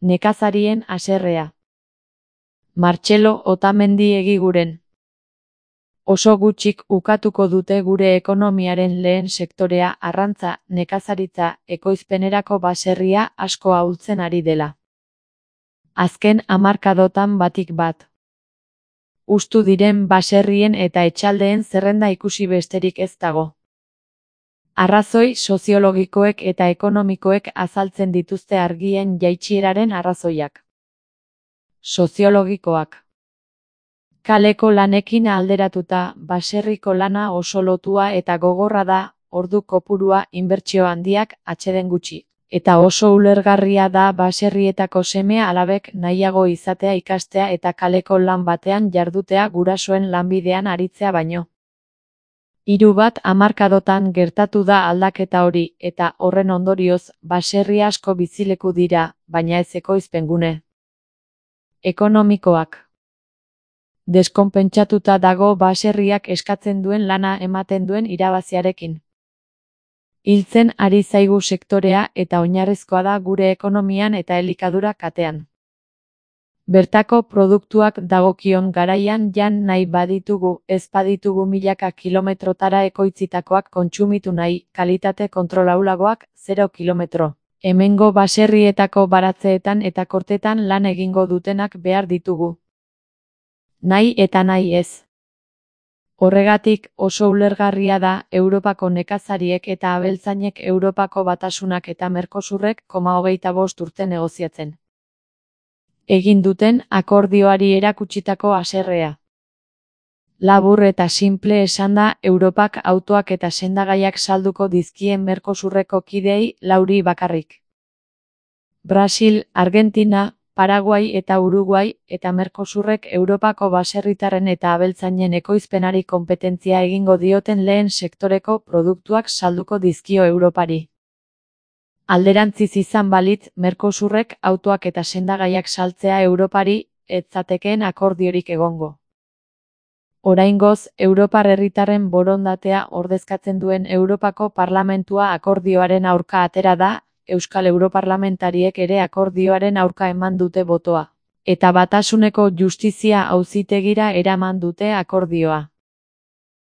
nekazarien haserrea. Martxelo Otamendi Egiguren. Oso gutxik ukatuko dute gure ekonomiaren lehen sektorea arrantza, nekazaritza, ekoizpenerako baserria asko ahultzen ari dela. Azken hamarkadotan batik bat. Hustu diren baserrien eta etxaldeen zerrenda ikusi besterik ez dago. Arrazoi soziologikoek eta ekonomikoek azaltzen dituzte argien jaitsieraren arrazoiak. Soziologikoak. Kaleko lanekin alderatuta, baserriko lana oso lotua eta gogorra da, ordu kopurua, inbertsio handiak, atseden gutxi. Eta oso ulergarria da baserrietako seme alabek nahiago izatea ikastea eta kaleko lan batean jardutea gurasoen lanbidean aritzea baino. 3 hamarkadotan gertatu da aldaketa hori, eta horren ondorioz, baserri asko bizileku dira, baina ez ekoizpengune. Ekonomikoak. Deskonpentsatuta dago baserriak eskatzen duen lana ematen duen irabaziarekin. Hiltzen ari zaigu sektorea eta oinarrizkoa da gure ekonomian eta elikadura katean. Bertako produktuak dagokion garaian jan nahi baditugu, ez baditugu milaka kilometrotara ekoitzitakoak kontsumitu nahi, kalitate kontrolaulagoak 0 kilometro. Hemengo baserrietako baratzeetan eta kortetan lan egingo dutenak behar ditugu. Nahi eta nahi ez. Horregatik oso ulergarria da Europako nekazariek eta abeltzainek Europako Batasunak eta Mercosurrek 25 urte negoziatzen egin duten akordioari erakutsitako haserrea. Labur eta simple esanda, Europak autoak eta sendagaiak salduko dizkien Mercosurreko kideei 4 bakarrik. Brasil, Argentina, Paraguai eta Uruguai eta Mercosurrek Europako baserritarren eta abeltzainen ekoizpenari konpetentzia egingo dioten lehen sektoreko produktuak salduko dizkio Europari. Alderantziz izan balitz, Mercosurrek autoak eta sendagaiak saltzea Europari ez zatekeen akordiorik egongo. Oraingoz, Europar herritarren borondatea ordezkatzen duen Europako Parlamentua akordioaren aurka atera da, Euskal Europarlamentariek ere akordioaren aurka eman dute botoa, eta Batasuneko Justizia Auzitegira eraman dute akordioa.